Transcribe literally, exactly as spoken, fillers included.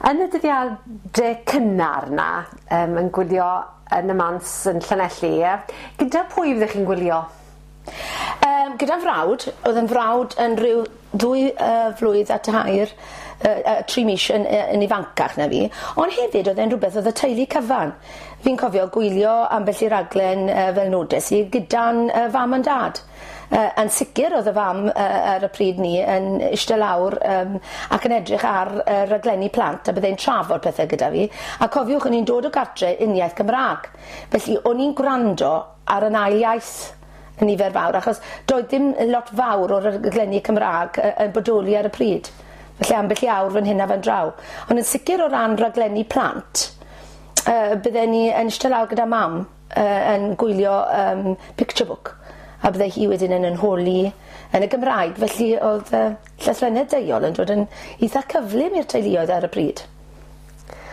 Yn y dyddiade cynnar 'na yym yn gwylio yn y mans yn Llanelli ie? Gyda pwy fyddech chi'n gwylio? Yym gyda frawd o'dd 'yn frawd yn ryw ddwy yy flwydd a tair yy yy tri mis yn yy yn ifancach na fi ond hefyd o'dd e'n rwbeth o'dd y teulu cyfan. Fi'n cofio gwylio ambell i raglen yy fel nodes i gyda'n yy fam a'n dad. Yy yn sicir o'dd y fam yy ar y pryd 'ny yn ishte lawr yym ac yn edrych ar y raglenni plant a byddai'n trafod pethe gyda fi a cofiwch o'n i'n dod o gartre uniaith Gymra'g felly o'n i'n gwrando ar 'yn ail iaith yn nifer fawr achos doedd dim lot fawr o raglenni Cymra'g yy yn bodoli ar y pryd. Felly ambell i awr fan hyn a fan draw. Ond yn sicir o ran raglenni plant yy bydden ni yn ishte lawr gyda mam yy yn gwylio yym picture book a bydde hi wedyn yn 'yn holi yn y Gymraeg felly o'dd yy llythrennedd deuol yn dod yn itha cyflym i'r teuluoedd ar y pryd.